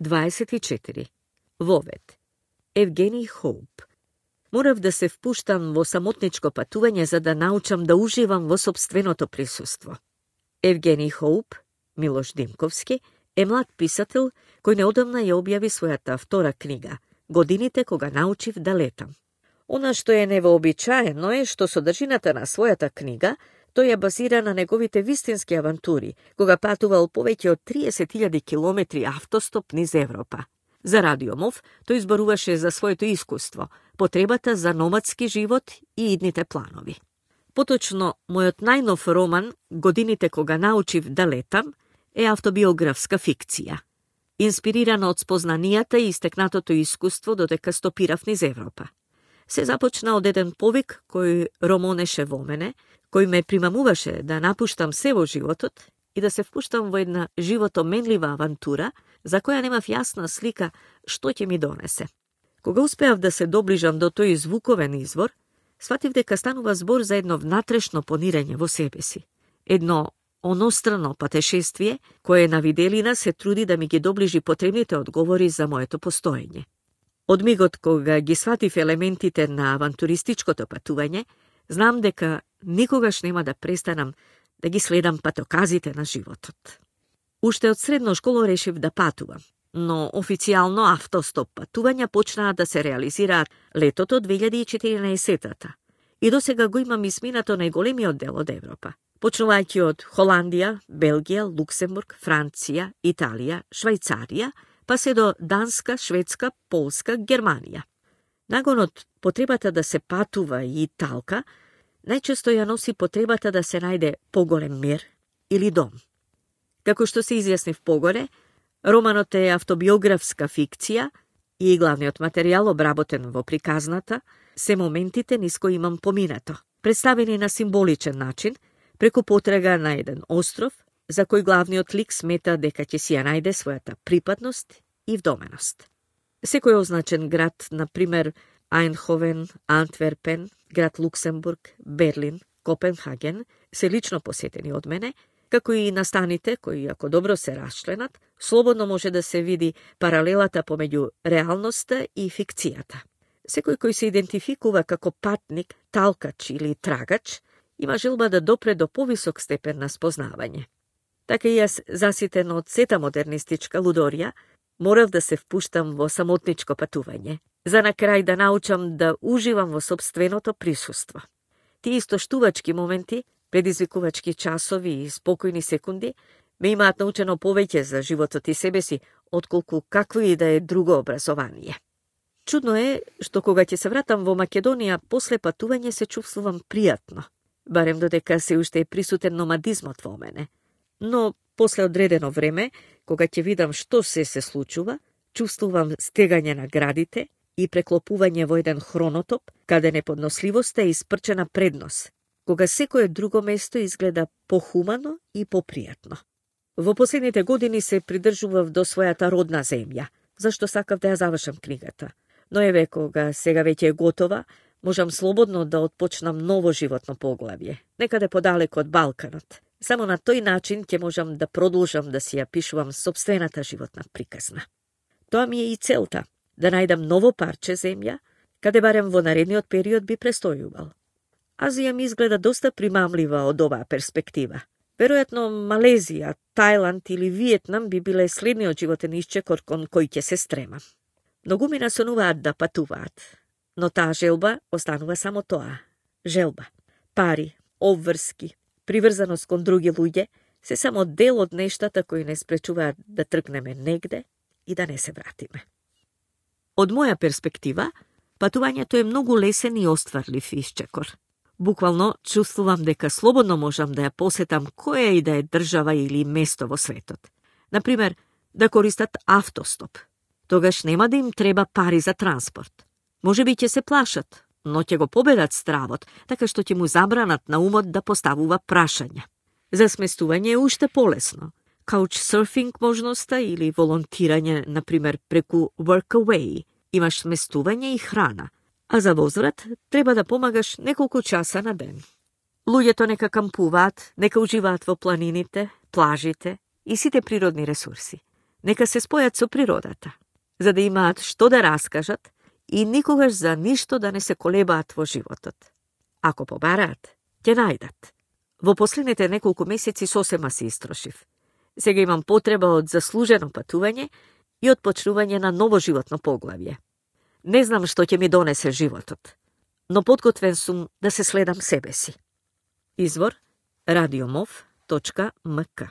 24. Вовет. Евгений Хоуп. Морав да се впуштам во самотничко патување за да научам да уживам во собственото присуство. Евгений Хоуп, Милош Димковски, е млад писател кој неодамна ја објави својата втора книга «Годините кога научив да летам». Она што е невообичаено е што содржината на својата книга тој ја базира на неговите вистински авантури, кога патувал повеќе од 30.000 километри автостоп низ Европа. За Радио МОВ тој зборуваше за своето искуство, потребата за номадски живот и идните планови. Поточно, мојот најнов роман, Годините кога научив да летам, е автобиографска фикција. Инспирирана од спознанијата и истекнатото искуство додека стопирав низ Европа. Се започна од еден повик кој ромонеше во мене, кој ме примамуваше да напуштам се во животот и да се впуштам во една животоменлива авантура, за која немав јасна слика што ќе ми донесе. Кога успеав да се доближам до тој звуковен извор, сватив дека станува збор за едно внатрешно понирање во себе си. Едно онострано патешествие, кое на виделина се труди да ми ги доближи потребните одговори за моето постоење. Од мигот кога ги сватив елементите на авантуристичкото патување, знам дека никогаш нема да престанам да ги следам патоказите на животот. Уште од средно школа решив да патувам, но официјално автостоп патувања почнаа да се реализираат летото 2014-та. И досега го имам изминато најголемиот дел од Европа, почнувајќи од Холандија, Белгија, Луксембург, Франција, Италија, Швајцарија, па се до Данска, Шведска, Полска, Германија. Нагонот потребата да се патува и талка, најчесто ја носи потребата да се најде поголем мир или дом. Како што се изјаснив погоре, романот е автобиографска фикција и главниот материјал обработен во приказната се моментите низ кои имам поминато, представени на символичен начин, преку потрага на еден остров, за кој главниот лик смета дека ќе си ја најде својата припадност и вдоменост. Секој означен град, например Ајнховен, Антверпен, град Луксембург, Берлин, Копенхаген, се лично посетени од мене, како и настаните кои, ако добро се расчленат, слободно може да се види паралелата помеѓу реалноста и фикцијата. Секој кој се идентификува како патник, талкач или трагач, има желба да допре до повисок степен на спознавање. Така и јас, заситен од сета модернистичка лудорија, морав да се впуштам во самотничко патување, за на крај да научам да уживам во собственото присуство. Тие истоштувачки моменти, предизвикувачки часови и спокојни секунди ме имаат научено повеќе за животот и себе си, отколку какво и да е друго образование. Чудно е што кога ќе се вратам во Македонија после патување се чувствувам пријатно, барем додека се уште е присутен номадизмот во мене. Но после одредено време, кога ќе видам што се случува, чувствувам стегање на градите и преклопување во еден хронотоп, каде неподносливоста е испрчена преднос, кога секое друго место изгледа похумано и попријатно. Во последните години се придржував до својата родна земја, зашто сакав да ја завршам книгата. Но еве, кога сега веќе е готова, можам слободно да отпочнам ново животно поглавје, некаде подалеку од Балканот. Само на тој начин ќе можам да продолжам да си ја пишувам собствената животна приказна. Тоа ми е и целта, да најдам ново парче земја, каде барем во наредниот период би престојувал. Азија ми изгледа доста примамлива од оваа перспектива. Веројатно Малезија, Тајланд или Виетнам би биле следниот животен исчекор кон кој ќе се стремам. Многу ми насонуваат да патуваат, но таа желба останува само тоа. Желба. Пари, обврски, приврзаност кон други луѓе се само дел од нештата кои не спречуваат да тргнеме негде и да не се вратиме. Од моја перспектива, патувањето е многу лесен и остварлив исчекор. Буквално чувствувам дека слободно можам да ја посетам која и да е држава или место во светот. Например, да користат автостоп. Тогаш нема да им треба пари за транспорт. Може би ќе се плашат, но ќе го победат стравот, така што ќе му забранат на умот да поставува прашања. За сместување е уште полесно. Couchsurfing можноста или волонтирање, например, преку Workaway. Имаш сместување и храна, а за возврат треба да помагаш неколку часа на ден. Луѓето нека кампуваат, нека уживаат во планините, плажите и сите природни ресурси. Нека се спојат со природата, за да имаат што да раскажат и никогаш за ништо да не се колебаат во животот. Ако побараат, ќе најдат. Во последните неколку месеци сосема се истрошив. Сега имам потреба од заслужено патување и од почнување на ново животно поглавје. Не знам што ќе ми донесе животот, но подготвен сум да се следам себе си. Извор: radiomov.mk